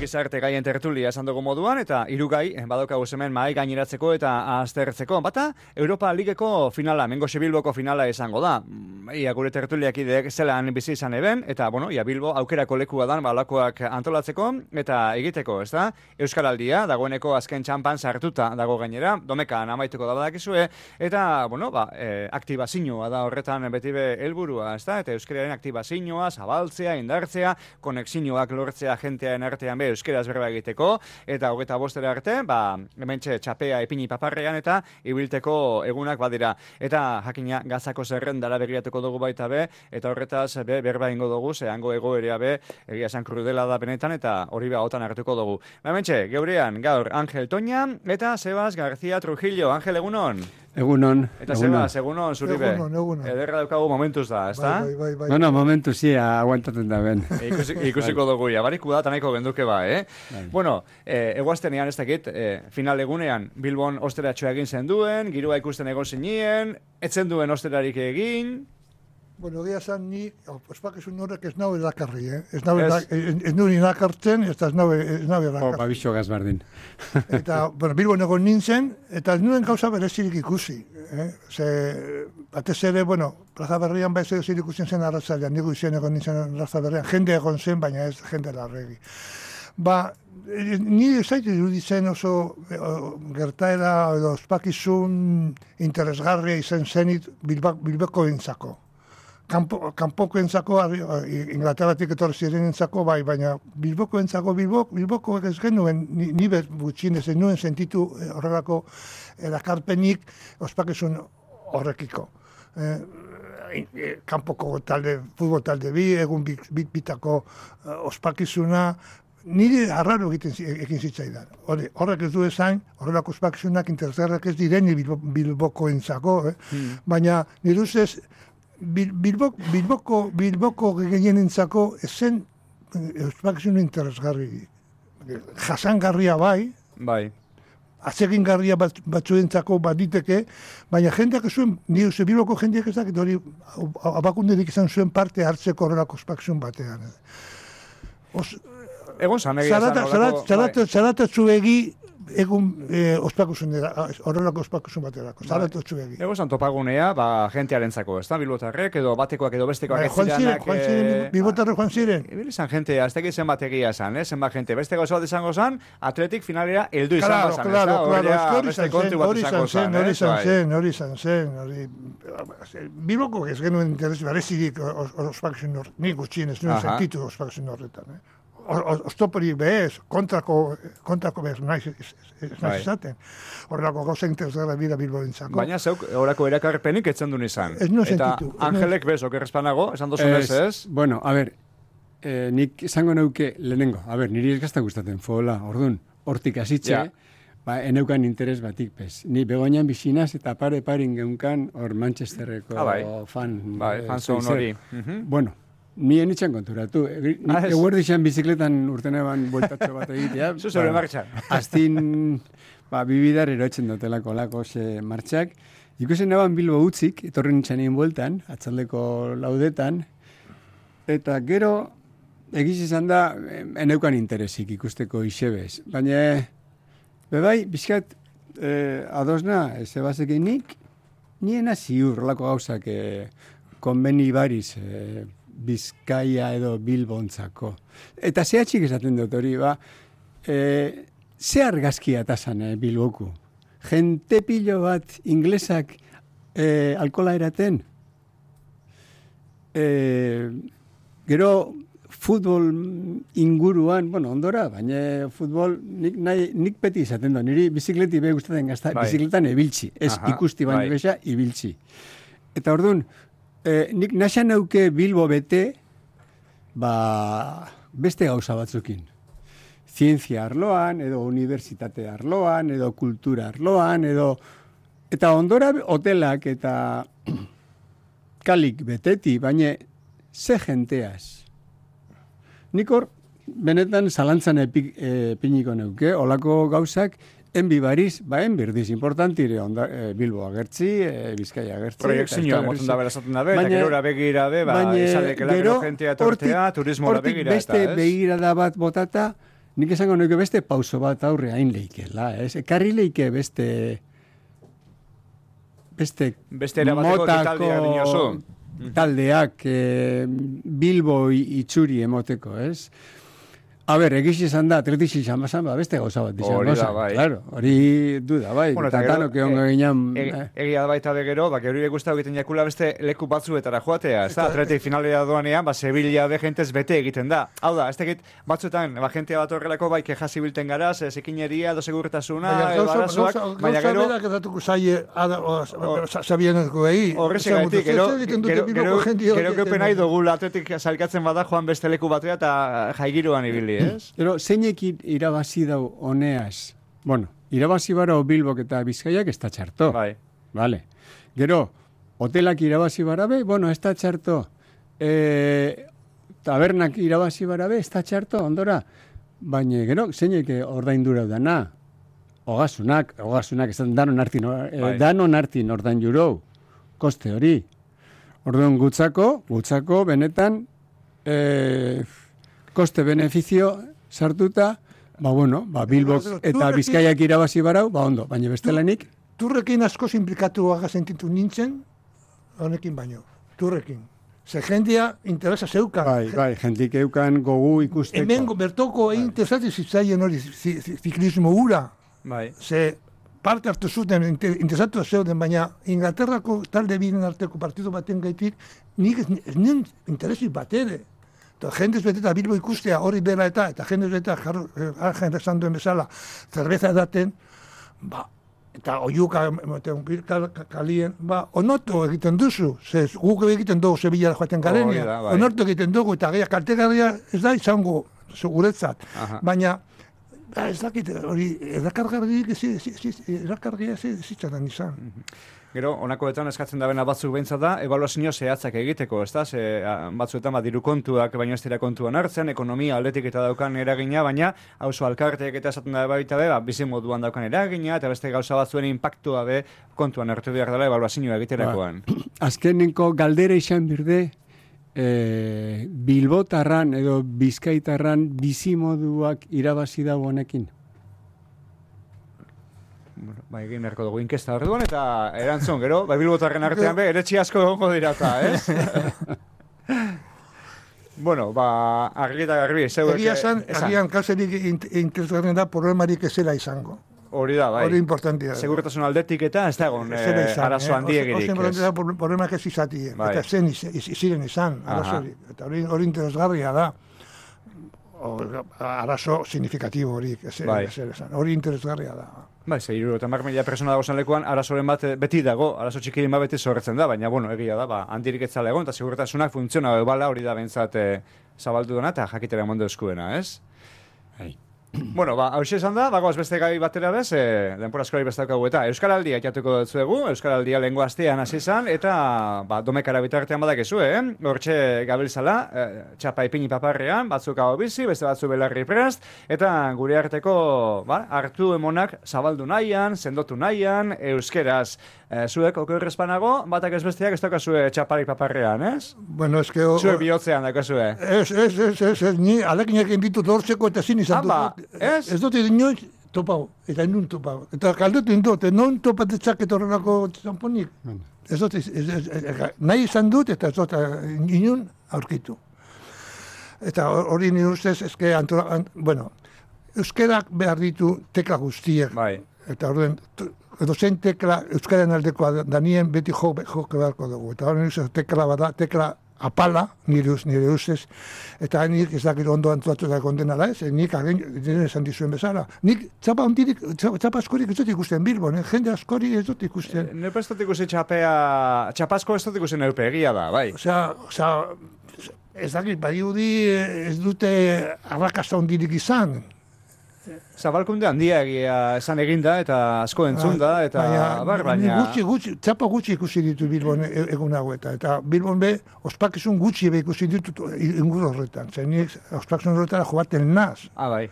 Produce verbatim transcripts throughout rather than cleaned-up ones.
gizarte gaien tertulia esan dugu moduan, eta hiru gai badaukagu hemen mahai gaineratzeko eta aztertzeko. Bata, Europa Ligeko finala, Mengoxe Bilboko finala izango da. Ia gure tertuliak ideek zelan bizi izan eben, eta, bueno, ia Bilbo aukerako lekua dan balakoak antolatzeko eta egiteko, ez da? Euskaraldia, dagoeneko azken txampan sartuta dago gainera, domekan amaituko da badakizue, eta, bueno, ba, e, aktibazioa da horretan beti be helburua, ez da? Eta euskararen aktibazioa, zabaltzea, indartzea, konexioak lortzea jentearen artean be euskeraz berba egiteko, eta hogeita bostera arte, ba, hementxe txapea epini paparrean eta ibilteko egunak badira. Eta jakina gazako zerrendara begiratuko dugu baita be, eta horretaz be berba ingo dugu, zehango egoerea be, egia esan krudela da benetan, eta hori behaotan hartuko dugu. Ba, hementxe, geurean, gaur, Angel Toña, eta Sebas García Trujillo. Angel, egunon? Egunon. Eta Sebas, egunon, zuribe. Egunon, egunon. Ederra daukagu momentuz da, ez da? Bai, bai, bai. Bueno, momentu zi, aguantaten da ben. Ikusi, ikusiko dugu, ja, bariku da, tanaiko genduke ba, eh? Bai. Bueno, eh, eguaztenean ez dakit, eh, final egunean, Bilbon osteratxoa egin zen duen, girua ikusten egon zinien, etzen duen osterarik egin. Bueno, egia zan ni, ospakizun horrek ez naue dakarri, eh? Ez naue ez nuen inakartzen, ez ez naue dakarri. Opa, biso gazbardin. Eta, bueno, Bilbon egon nintzen, eta ez nuen gauza berezirik ikusi. Eh? Ze, batez ere, bueno, Plaza Berrian ba ez edo ikusten zen arratzailean, nigu izan egon nintzen Plaza Berrian, jende egon zen, baina ez jende larregi. Ba, ni ez zait iruditzen oso gertaera edo ospakizun interesgarria izan zenit Bilboko entzako. Kanpo, kanpoko entzako, Inglaterratik etorri ziren entzako, bai, baina Bilboko entzako, Bilboko, Bilboko ez genuen, ni, ni bet gutxinez, ez nuen sentitu horrelako erakarpenik ospakizun horrekiko. Eh, kanpoko talde, futbol talde bi, egun bit, bit, bitako uh, ospakizuna, nire arraro egiten ekin zitzaidan. Horrek ez du esan, horrelako ospakizunak interesgarrak ez direni Bilboko entzako, eh? hmm. baina nire ustez, Bilboko, Bilboko, Bilboko gehienentzako esen ospakizun interesgarri. Jasangarria bai, bai. Atsegingarria bat, batzuentzako baditeke, baina jendeak ez zuen, ni uste Bilboko jendeak ez dakit hori abakunderik izan zuen parte hartzeko horrelako ospakizun batean. Os, Egon zan, egia zan. Zaratatzu egi egun eh, ospakizunera, horrelako ospakizun baterako, zaratatzu egi. Egon zan topagunea, ba, jentearen zako, ez da, Bilbotarrek, edo batekoak edo bestekoak ez ziranak. Joan ziren, Bilbotarrek joan ziren. Ibili zan jentea, ez teki zenbat egia zan, eh? zenbat jente. Beste gauza bat izango zan, Atletik finalera heldu izango zan, ez da? Hori izan zen, hori izan zen, hori izan zen, hori... Bilboko ez genuen interes berezirik ospakizun horretan, nik gutxien ez nuen sentitu ospakizun horretan, eh? Oztopori behez, kontrako, kontrako behez naiz izaten. Horrelako gauza interesgarra bira Bilbo entzako. Baina zeuk, horako erakarpenik etzen duen izan. Ez nuen sentitu. Eta Angelek bez, okerrezpanago, esan dozun ez ez? Bueno, a ber, eh, nik esango neuke lehenengo, a ber, niri ez gazta gustaten, fola, orduan, hortik asitxe, ja. Ba, eneukan interes batik, pez. Ni Begoñan bizinaz eta pare parin geunkan hor Manchesterreko ah, bai. fan. Bai, fan zon hori. Bueno, ni enitzen konturatu. Eguerdi xan bizikletan urten eban bueltatxo bat egitea. Zuzure martxan. Aztin, ba, bibidar erotzen dutelako lako ze martxak. Ikusen eban Bilbo utzik, etorri nintzen egin bueltan, atzaldeko laudetan, eta gero, egiz izan da, eneukan interesik ikusteko isebez. Baina, bebai, bizkat, eh, adosna, zebazekin nik, niena ziur lako gauzak eh, konbeni bariz, eh, Bizkaia edo Bilbontzako. Eta zehatxik esaten dut hori, ba, e, ze argazkia tasan eh, Bilboku. Jente pilo bat inglesak e, alkola eraten. E, gero futbol inguruan, bueno, ondora, baina futbol nik, nahi, nik peti izaten dut. Niri bizikleti be gustatzen gazta, bai. Bizikletan ebiltzi. Ez aha, ikusti baina bai. Besa, ibiltzi. Eta orduan, Eh, nik naxan neuke Bilbo bete, ba, beste gauza batzukin. Zientzia arloan, edo unibertsitate arloan, edo kultura arloan, edo... Eta ondora hotelak eta kalik beteti, baina ze jenteaz. Nik hor, benetan zalantzan epik, e, piniko neuke, olako gauzak, enbi bariz, ba, enbirdiz, importantire onda, e, Bilbo agertzi, e, Bizkaia agertzi. Proiektzioa motzen da berazaten da be, eta gerora begira be, ba, esaldekelako jentea tortea, turismoa begira. Hortik beste begirada bat botata, nik esango nuke beste pauso bat aurre hain leikela, ez? Ekarri leike beste beste Beste erabateko taldea dinozu. Taldeak eh, Bilbo itxuri emoteko, ez? A ber, egisi izan da, atletisi izan bazan, ba, beste gauza bat izan. Hori da, bai. Claro, hori du da, bai. Bueno, eta gero, que ongo ginean... Egia da baita begero, ba, geuri guztau egiten jakula beste leku batzuetara joatea, ez da, atletik finalera doanean, ba, Sevilla de gentez bete egiten da. Hau da, ez tekit, batzuetan, ba, jentea bat horrelako, bai, keja zibilten gara, ze zikineria, do segurtasuna, barazoak, baina gero... Gauza berak edatuko zaie, sabieneko behi. Horrezegaitik, gero, gero kepen nahi dugula atletik salkatzen bada joan beste leku batera eta jaigiroan ibili. Ez? Pero zeinek irabazi dau honeaz. Bueno, irabazi bara Bilbok eta Bizkaiak ez da txarto. Bai. Vale. Gero, hotelak irabazi barabe, bueno, ez da txarto. E, tabernak irabazi barabe, ez da txarto, ondora. Baina, gero, zeinek ordaindura dana. Ogasunak, ogasunak, ez da danon hartin, bai. danon hartin ordain jurou. Koste hori. Orduan gutzako, gutzako, benetan, eh, koste-benefizio sartuta, ba bueno, ba Bilbok eta Bizkaiak irabazi barau, ba ondo, baina bestelanik. Turrekin asko implikatu aga sentitu nintzen, honekin baino, turrekin. Ze jendia interesa zeukan. Bai, bai, jendik eukan gogu ikusteko. Hemen bertoko egin interesatu zitzaien hori ziklismo hura. Bai. Ze parte hartu zuten, interesatu zeuden, baina Inglaterrako talde biren arteko partidu baten gaitik, nik ez nien interesik bat ere. Eta jendez beteta Bilbo ikustea hori dela eta, eta jendez beteta argen esan duen bezala, zerbeza edaten, ba, eta oiuka kalien, ba, onoto egiten duzu, ze guk egiten dugu Sevillara joaten garenia, oh, bai. Onoto egiten dugu, eta gehiak kaltegarria ez da izango guretzat, baina, ba, ez dakit, hori, erakargarriak ez zitzatan izan. Gero, honakoetan eskatzen dabena batzuk behintzat da, ebaluazio zehatzak egiteko, ez da? Ze, batzuetan bat diru kontuak, baino ez dira kontuan hartzen, ekonomia aldetik eta daukan eragina, baina auzo alkarteek eta esaten da baita be, ba, bizi moduan daukan eragina, eta beste gauza batzuen impactua be kontuan hartu behar dela ebaluazioa egiterakoan. Ba, azkenenko galdera izan birde, e, Bilbotarran edo Bizkaitarran bizi moduak irabazi dago honekin. Bueno, bai, egin beharko dugu inkesta orduan eta erantzun, gero, bai Bilbotarren artean be, eretxi asko egongo dirata, ez? Bueno, ba, argi eta garbi, zeuek... Egia esan, agian kauserik interesgarren da problemarik ezela izango. Hori da, bai. Hori importantia. Segurtasun aldetik eta ez da egon eh, arazo handiegirik. Ozen importantia da problemak ez izatien, bai. Eta zen iziren izan, arazorik. Eta hori, hori interesgarria da. Arazo signifikatibo hori, bai. Hori interesgarria da. Bai, ze hiru eta mar mila persona dago zen lekuan, arazoren bat beti dago, arazo txikirin bat beti zorretzen da, baina, bueno, egia da, ba, handirik etzala egon, eta segurtasunak funtziona bala hori da bentsat e, zabaldu dena, eta jakitera mondo eskuena, ez? Hai. Bueno, ba, hau esan da, bagoaz beste gai batera bez, e, denpora askori bestaukagu eta Euskaraldia jatuko dutzuegu, Euskaraldia lehengo astean hasi izan, eta ba, domekara bitartean badakizu, eh? Hortxe gabiltzala, e, txapa ipini paparrean, batzuk hau bizi, beste batzu belarri prest, eta gure arteko ba, hartu emonak zabaldu nahian, sendotu nahian, euskeraz. E, zuek okerrezpanago, batak ez besteak ez daukazue txaparik paparrean, ez? Bueno, eske... Zuek bihotzean daukazue. Ez, ez, ez, ez, ez, ni alekinak inditut hortzeko eta zin izan dut. Ez? Ez dut inoiz topau, eta inun topau. Eta kaldetu indut, non topatetzak eta horrelako txamponik. Ez dut, ez, ez, ez, nahi izan dut eta ez dut inun aurkitu. Eta hori nire ustez, eske, antura, ant, bueno, euskerak behar ditu tekla guztiek. Bai. Eta horren, edo zen tekla euskaren aldekoa danien beti jo, joke beharko dugu. Eta hori nire tekla bada, tekla apala, nire, nire ustez, eta nik ez dakit ondo antolatu da kondenala ez, nik agen, esan dizuen bezala. Nik txapa ondirik, txapa askorik ez dut ikusten Bilbon, eh? Jende askori ez dut ikusten. Neupe ez dut ikusten txapea, txapasko ez dut ikusten neupe, egia da, bai. Osea, osea, ez dakit, badiudi ez dute arrakasta ondirik izan. Zabalkunde handia egia esan eginda eta asko entzun da, eta bar, baina... Gutxi, gutxi, txapa gutxi ikusi ditu Bilbon egun haueta, eta Bilbon be, ospakizun gutxi be ikusi ditu ingur horretan, zen nik ospakizun horretara joaten naz. Ah, bai.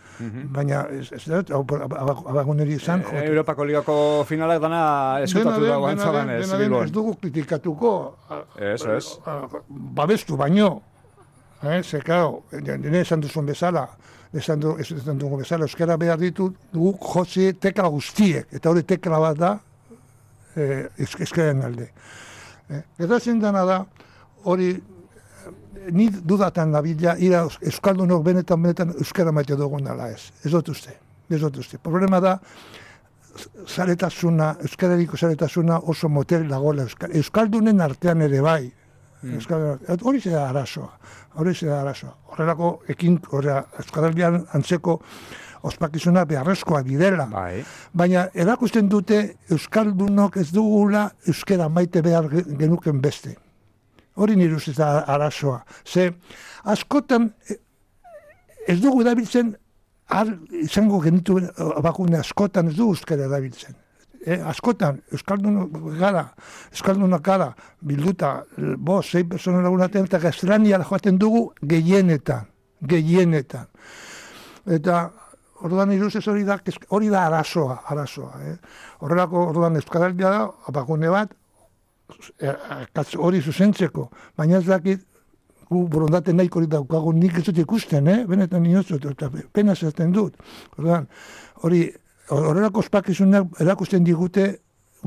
Baina, ez dut, abaguneri izan joaten. Europako ligako finalak dana eskutatu dago antzaban ez, Bilbon. Ez dugu kritikatuko, Eso, ez. babestu baino, Eh, ze, claro, nire esan duzun bezala, esan, du, esan dugu bezala, euskara behar ditu guk jotzi tekla guztiek, eta hori tekla bat da, eh, euskararen alde. Eh, Gertatzen dena da, hori, ni dudatan nabila, ira euskaldunok benetan, benetan euskara maite dugun dela ez. Ez dut uste, ez dut uste. Problema da, zaretasuna, euskarariko zaretasuna oso motel dagoela euskaldunen artean ere bai. Mm. Hori zera arazoa, hori zera arazoa. Horrelako ekin, horrela, euskaraldian antzeko ospakizuna beharrezkoa direla. Bai. Baina erakusten dute euskaldunok ez dugula euskara maite behar genuken beste. Hori nire ustez da arazoa. Ze, askotan ez dugu erabiltzen, har izango genitu bakune askotan ez dugu euskara erabiltzen. Eh, askotan, euskaldun gara, euskaldunak gara, bilduta, bo, zei persona lagunaten, eta gaztelania joaten dugu gehienetan, gehienetan. Eta orduan iruzez hori da, hori da arazoa, arazoa. Eh. Horrelako orduan euskaraldia da, bakune bat, hori zuzentzeko, baina ez dakit, gu borondate nahiko hori daukagu nik ez dut ikusten, eh? Benetan inotzut, eta pena zerten dut. Orduan, hori, horrelako ospakizunak erakusten digute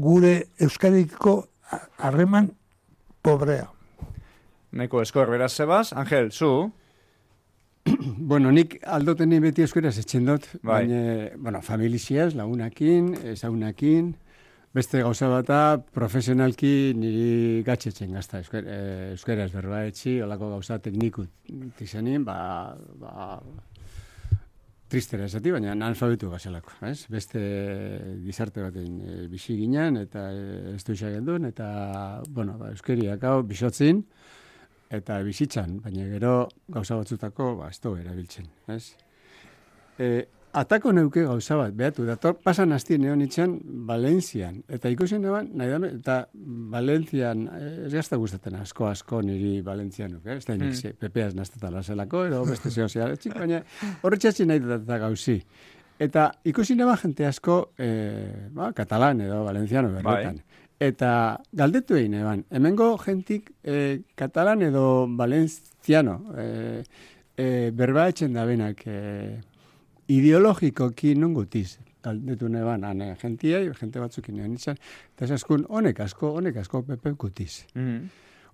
gure euskariko harreman pobrea. Neko eskor, beraz, Sebas. Angel, zu? Bueno, nik aldoteni beti euskaraz etxen dut, Bai. baina, bueno, familiziaz, lagunakin, ezagunakin, beste gauza bata, profesionalki niri gatxetzen gazta, euskar, eh, euskaraz berba etxi, olako gauza teknikut izanin, ba, ba, tristera esati, baina analfabetu gazelako, ez? Beste gizarte baten e, bizi ginen, eta e, ez du gendun, eta, bueno, ba, euskeriak hau bisotzin, eta bizitzan, baina gero gauza batzutako, ba, ez du erabiltzen, ez? E, atako neuke gauza bat, behatu, dator, pasan hastien egon itxan Valentzian, eta ikusen eban, nahi dame, eta Valentzian, ez gazta gustaten asko, asko niri Valentzianuk, eh? Ez da nik, mm. pepeaz naztetan lazelako, ero beste zeo zehaletxik, baina horretxatzi nahi dut eta gauzi. Eta ikusi eban jente asko, eh, ba, katalan edo Valentziano berretan. Bai. Eta galdetu egin eban, hemengo jentik eh, katalan edo Valentziano eh, eh, berba etxen da benak, eh, ideologikoki non gutiz, galdetu neban, ane, jentiai, jente batzukin nean izan, eta esaskun, honek asko, honek asko pepe gutiz. Mm-hmm.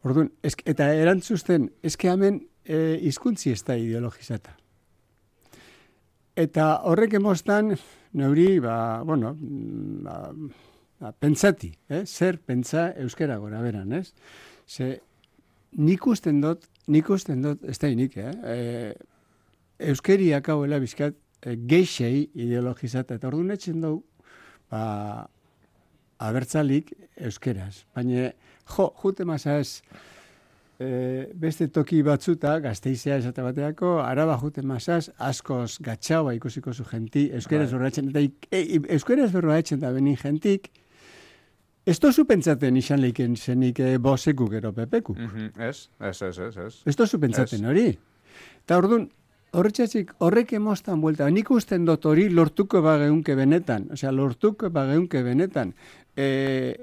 Orduan, esk, eta erantzuzten, eske hemen e, izkuntzi ez da ideologizata. Eta horrek emostan, neuri, ba, bueno, ba, ba, pentsati, eh? Zer pentsa euskera gora beran, ez? Ze, nik usten dut, nik usten dut, ez da inik, eh? E, euskeriak hauela bizkat, geixei ideologizata, eta orduan etxen dugu, ba, abertzalik euskeraz. Baina, jo, jute mazaz, e, beste toki batzuta, Gasteizea esate bateako, Araba jute mazaz, askoz gatxaua ikusiko zu jenti, euskeraz berroa etxen, eta e, euskeraz berroa etxen da benin jentik, ez tozu pentsaten izan leiken zenik e, boseku gero pepekuk. Mm-hmm. Ez, ez, ez, ez, ez. Ez tozu pentsaten hori. Eta orduan, horretxatzik, horrek emostan buelta. Nik usten dut hori lortuko bageunke benetan. Osea, lortuko bageunke benetan. E,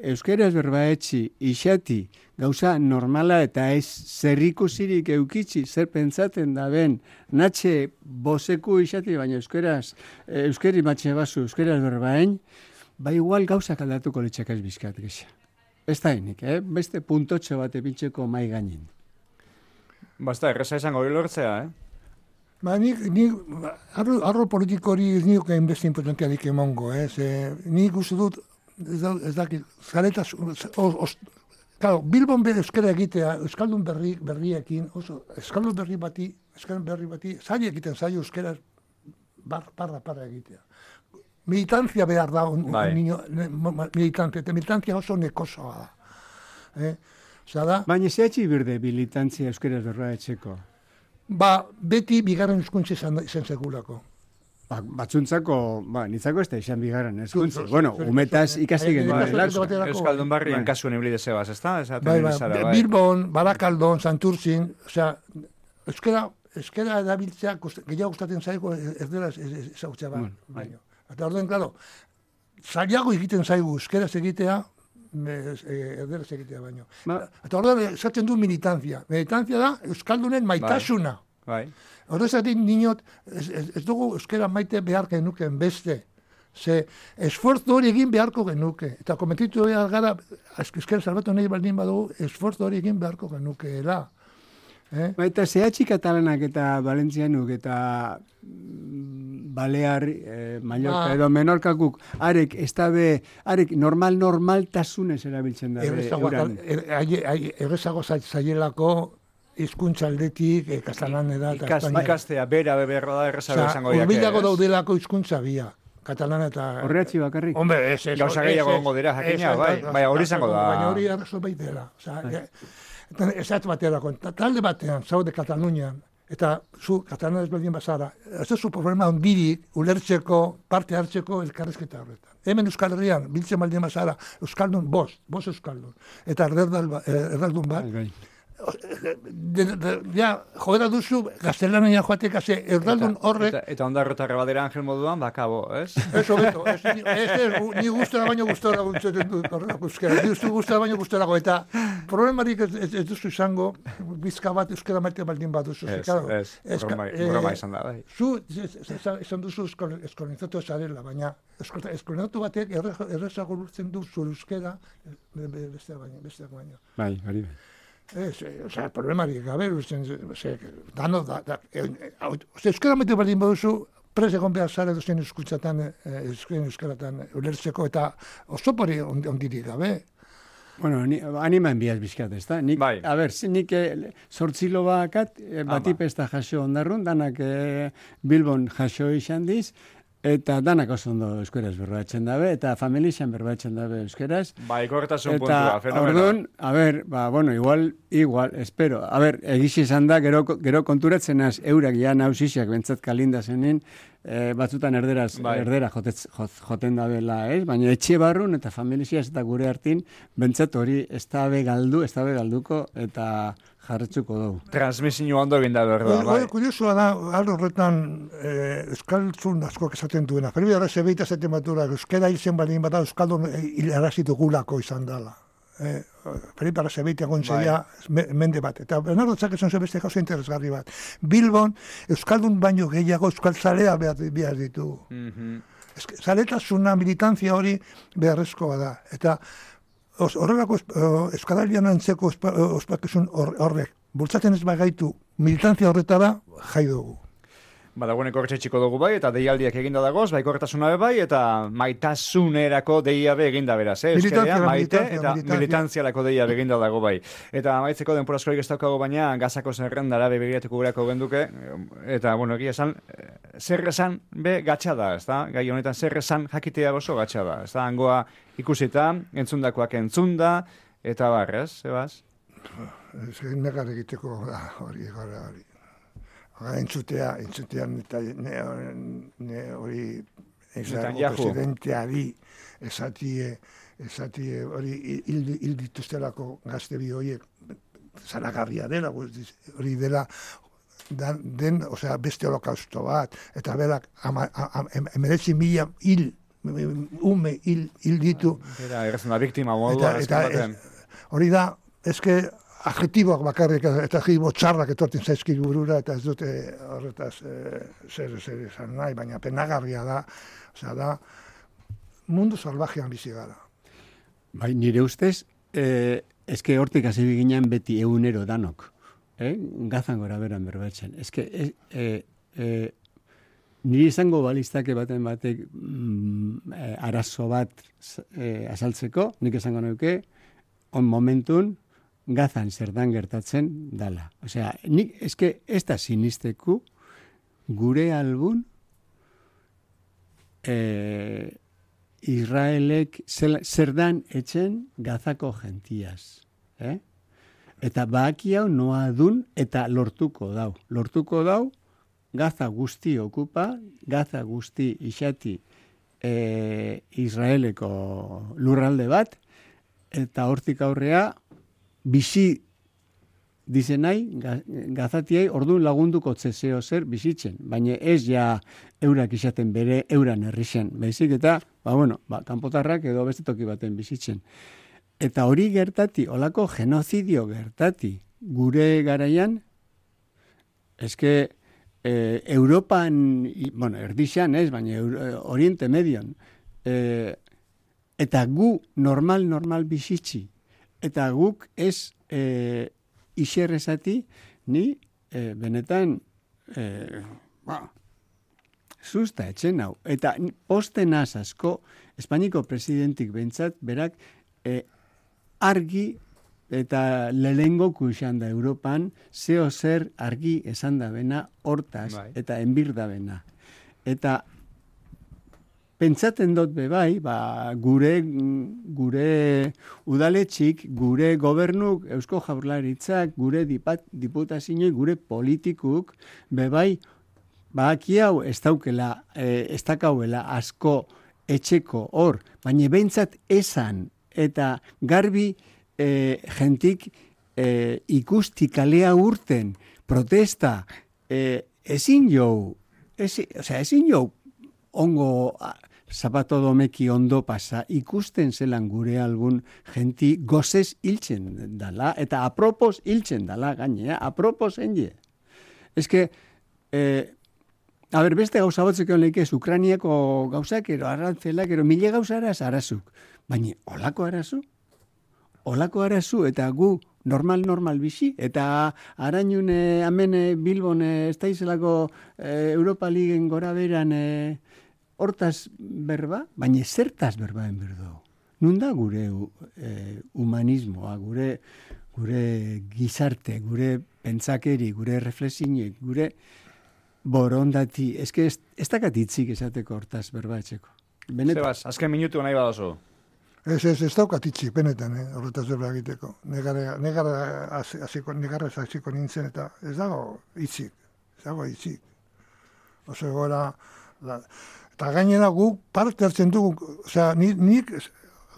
euskeraz berba etxi, isati, gauza normala eta ez zerrikusirik eukitzi, zer pentsaten da ben, natxe boseku isati, baina euskeraz, e, euskeri matxe bazu, euskeraz berbaen, ba igual gauzak aldatuko litxakaz bizkat gesa. Ez da enik, eh? Beste puntotxo bat epintxeko mai gainin. Basta, erreza izango hori lortzea, eh? Ba, nik, nik, arro, arro politiko hori ez nioke beste importantiarik emongo, eh? Ze, nik uste dut, ez, da, ez dakit, zaretaz, claro, Bilbon bere euskara egitea, euskaldun berri, berriekin, oso, euskaldun berri bati, euskaldun berri bati, zaila egiten zaila euskara bar, parra, parra egitea. Militantzia behar da, un, un niño, militantzia, eta militantzia oso nekosoa da. Eh? Da, baina zehatzi birde militantzia euskaraz berroa etxeko? Ba, beti bigarren hizkuntza izan, izan segulako. Ba, batzuntzako, ba, nitzako ez da izan bigarren hizkuntza. Bueno, umetaz ikasi genuen. Euskaldun barrian kasuen ibili dezebaz, ez da? Bai, bai, Bilbon, Barakaldon, Santurtzin, osea, euskera, euskera erabiltzea, gehiago gustatzen zaigu, ez dela ezagutzea ba. Eta orden, klaro, zailago egiten zaigu euskeraz egitea, erderaz egitea baino. Ba. Eta orduan esatzen du militantzia. Militantzia da Euskaldunen maitasuna. Bai. Horrezatik niñot, ez, ez, ez dugu euskera maite behar genuken beste. Ze esforzo hori egin beharko genuke. Eta komentitu behar gara, euskera salbatu nahi baldin badugu, esforzo hori egin beharko genukeela. Eh? Baita, zehatxi katalanak eta Valentzianuk eta mm, Balear, eh, Mallorca Ah. edo Menorkakuk, arek, ez da be, arek normal normaltasunez erabiltzen da. be Errezago, euran. er, ai- ai- errezago zai- zaielako hizkuntza aldetik, eh, katalanera eta Ikas, espainiera. ikastea, bera, beberra da, errezago Osea, esango diake. hurbilago ez? daudelako hizkuntza bia. Katalana eta... Horreatxi bakarrik. Hombre, ez, ez. Gauza ez, gehiago ez, egongo dira, jakina, ez, bai. ez, Baina hori izango da. Baina hori arrazo bai dela. Osea, eta esat baterako, ta- talde batean, zaude Katalunian, eta zu, Katalana ezberdin bazara, ez duzu problema ondirik, ulertzeko, parte hartzeko elkarrezketa horretan. Hemen Euskal Herrian, biltzen baldin bazara, Euskaldun, bost, bost Euskaldun. Eta erdaldun bat, erdaldun bat, Bai, bai. de, de, ja, joera duzu, gaztelania joatek, haze, erdaldun horrek, Eta, eta ondarrotarra badera Angel moduan, bakabo, ez? ez hobeto, ez, ez, ez, ni gustora baino gustora guntzen dut horrelako euskera, ni uste gustora baino gustorago, eta problemarik ez, ez, ez duzu izango, bizka bat euskera maite baldin bat duzu. Ez, claro, ez, eska- broma, eh, broma izan da, bai. Zu, ez- ez- ez- esan duzu eskol- eskolonizatu zarela, baina eskol- eskolonizatu batek erre- errezago lurtzen du zure euskera eh, be- be- besteak baino, besteak baino. Bai, hori bai. Ez, eh, osea, problemarik gabe, usten, ze, dano, da, da, eh, hau- ose, euskera maite baldin baduzu, prez egon behar zara duzen euskuntzatan, eh, euskaren euskaratan ulertzeko, eta osopori ond- ondirik gabe. Bueno, ni, anima enbiaz bizkat, ez da? Nik, Bai. A ber, zi- nik eh, zortzilo bakat, eh, Ama. batipesta jaso ondarrun, danak eh, Bilbon jaso izan diz, eta danak oso ondo euskeraz berbatzen dabe, eta familixan berbatzen dabe euskeraz. Bai, korretasun Eta, puntua, fenomeno. orduan, a ber, ba, bueno, igual, igual, espero. A ber, egiz izan da, gero, gero konturatzen az, eurak ja nausixak bentsat kalinda zenin, eh, batzutan erderaz, Bai. erdera jotetz, jot, joten dabela, ez? Baina etxe barrun eta familixiaz eta gure hartin, bentsat hori ez dabe galdu, ez dabe galduko, eta jarretzuko dugu. Transmisio ondo egin da berda, bai. Hori kuriosua da, aldo horretan, eh, euskaltzun askoak esaten duena. Pero bera, zebeita zaten batura, euskera hilzen baldin bada, euskaldun hilarazitu gulako izan dela. Eh, Felipe Arrazebeita gontzeia me, mende bat. Eta Bernardo Txak esan zuen beste gauza interesgarri bat. Bilbon, euskaldun baino gehiago euskaltzalea behar, behar ditu. Mhm. Eske, zaletasuna, militantzia hori beharrezkoa da. Eta os- horrelako euskaralian antzeko ospa- ospakizun hor- horrek, bultzaten ez bagaitu militantzia horretara jai dugu. Badagoeneko hortxetxiko dugu bai, eta deialdiak eginda dagoz, bai korretasuna be bai, eta maitasunerako deia be eginda beraz, eh? Euskerea, Militantzia, maite, militantzia, eta militantzia. militantzialako deia be eginda dago bai. Eta amaitzeko denporazkorik ez daukago baina, gazako zerrendara be begiratuko gurako genduke, eta, bueno, egia esan, eh, zer esan be gatsa da, ez da? Gai honetan zer esan jakitea oso gatsa da, ez da? Hangoa ikusita, entzundakoak entzunda, eta barrez, zebaz? Ez negar egiteko da, hori, hori, hori. Hora, entzutea, entzutean eta ne, ne hori Israelgo Netanyahu. presidenteari esatie, esatie hori hil, hil dituztelako gazte bi horiek zaragarria dela, guztiz, hori dela dan, den, osea, beste holokausto bat, eta berak ama, ama, em, emeretzi mila hil, ume hil, hil ditu, Era, errezen da, biktima modua, eta, eta ez, hori da, eske adjetiboak bakarrik eta adjetibo txarrak etortzen zaizkit burura eta ez dute horretaz eh, zer zer esan nahi, baina penagarria da, osea da mundu salvajean bizi gara. Bai, nire ustez, eh, eske hortik hasi ginen beti egunero danok. Eh? Gazan gora beran berbatzen. Eske, eh, eh, eh, niri izango baliztake baten batek mm, eh, arazo bat eh, azaltzeko, nik esango nuke, on momentun, Gazan zerdan gertatzen dala. Osea, nik eske ez da sinisteku gure albun eh, Israelek zel, zerdan etxen Gazako gentiaz. Eh? Eta baki hau noa dun eta lortuko dau. Lortuko dau, Gaza guzti okupa, Gaza guzti isati eh, Israeleko lurralde bat, eta hortik aurrea bizi dizenai, gazatiai orduan lagunduko zezeo zer bizitzen, baina ez ja eurak izaten bere euran herrixen, baizik eta, ba bueno, ba, kanpotarrak edo beste toki baten bizitzen. Eta hori gertati, olako genozidio gertati, gure garaian, eske eh, Europan, bueno, erdixan ez, baina Euro, Oriente Medion, eh, eta gu normal, normal bizitzi, eta guk ez eh, iserrezati, ni eh, benetan, eh, ba, susta etxen hau. Eta posten asko, Espainiko presidentik bentsat, berak, eh, argi eta lehengo kuxan da Europan, zeo zer argi esan da bena hortaz, bai. Eta enbir da bena. Eta pentsaten dut bebai, ba, gure, gure udaletxik, gure gobernuk, Eusko Jaurlaritzak, gure dipat, diputazinoi, gure politikuk, bebai, ba, aki hau ez daukela, eh, ez dakauela asko etxeko hor, baina behintzat esan, eta garbi eh, jentik eh, ikusti kalea urten, protesta, eh, ezin jau, ezin, osea, ezin jau ongo zapato domeki ondo pasa, ikusten zelan gure algun jenti gozez hiltzen dala, eta apropos hiltzen dala gainea, apropos enge. Ez que, eh, a ber, beste gauza batzeko leikez, Ukrainiako gauzak, ero arrantzelak, ero mile gauzara arazuk. Baina, olako arazu? Olako arazu, eta gu normal, normal bizi, eta arainun eh, amene Bilbon eh, ez daizelako eh, Europa Ligen gora beran eh, hortaz berba, baina zertaz berbaen berdo. Nun da gure eh, humanismoa, gure, gure gizarte, gure pentsakeri, gure reflexinek, gure borondati, eske ez, ez dakat hitzik esateko hortaz berba etxeko. Benet... Sebas, azken minutu nahi badozu. Ez, ez, ez daukat itxik, benetan, eh, horretaz berba egiteko. Negarra, negarra hasiko, negarra hasiko nintzen, eta ez dago itxik, ez dago itxik. Oso gora, la, eta gainera guk parte hartzen dugu, osea, nik, nik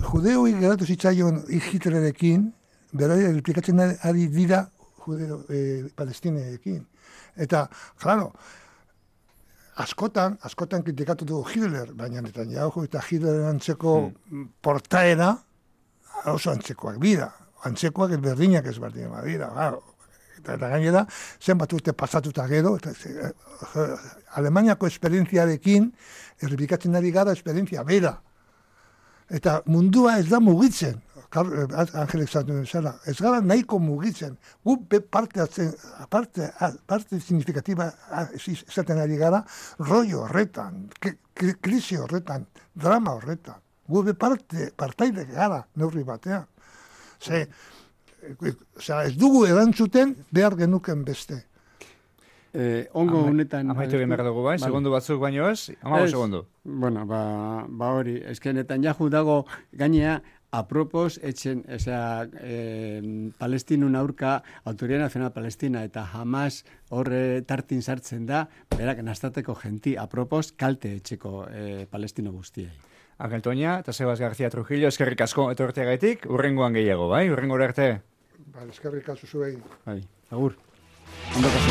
judeoi geratu zitzaion Hitlerekin, berari replikatzen ari dira judeo, eh, palestineekin. Eta, claro, askotan, askotan kritikatu dugu Hitler, baina Netanyahu eta Hitleren antzeko mm. portaera oso antzekoak bira. Antzekoak berdinak ez berdinak bira. Claro. Eta, eta gainera, zenbat urte pasatuta gero, eta, eh, Alemaniako esperientziarekin errepikatzen ari gara esperientzia bera. Eta mundua ez da mugitzen. Angelek zatu zela, ez gara nahiko mugitzen. Gu parte, parte, parte significatiba esaten ari gara, rollo horretan, krisi horretan, drama horretan. Gu parte, partaide gara neurri batean. Ze, ez dugu erantzuten behar genuken beste. Eh, ongo Ama, honetan... Amaitu egin behar dugu bai, segundu batzuk baino ez, amago segundu. Bueno, ba, ba hori, eskenetan jahu dago gainea, apropos, etxen, osea, eh, Palestinun aurka, Autoridad Nacional Palestina eta Hamas horre tartin sartzen da, berak nastateko genti, apropos, kalte etxeko eh, Palestino guztiei. Angel Toña eta Sebas García Trujillo, eskerrik asko etorteagaitik, urrengoan gehiago, bai? Urrengo arte. Ba, eskerrik asko zuei. Bai, agur. Ondo kaso.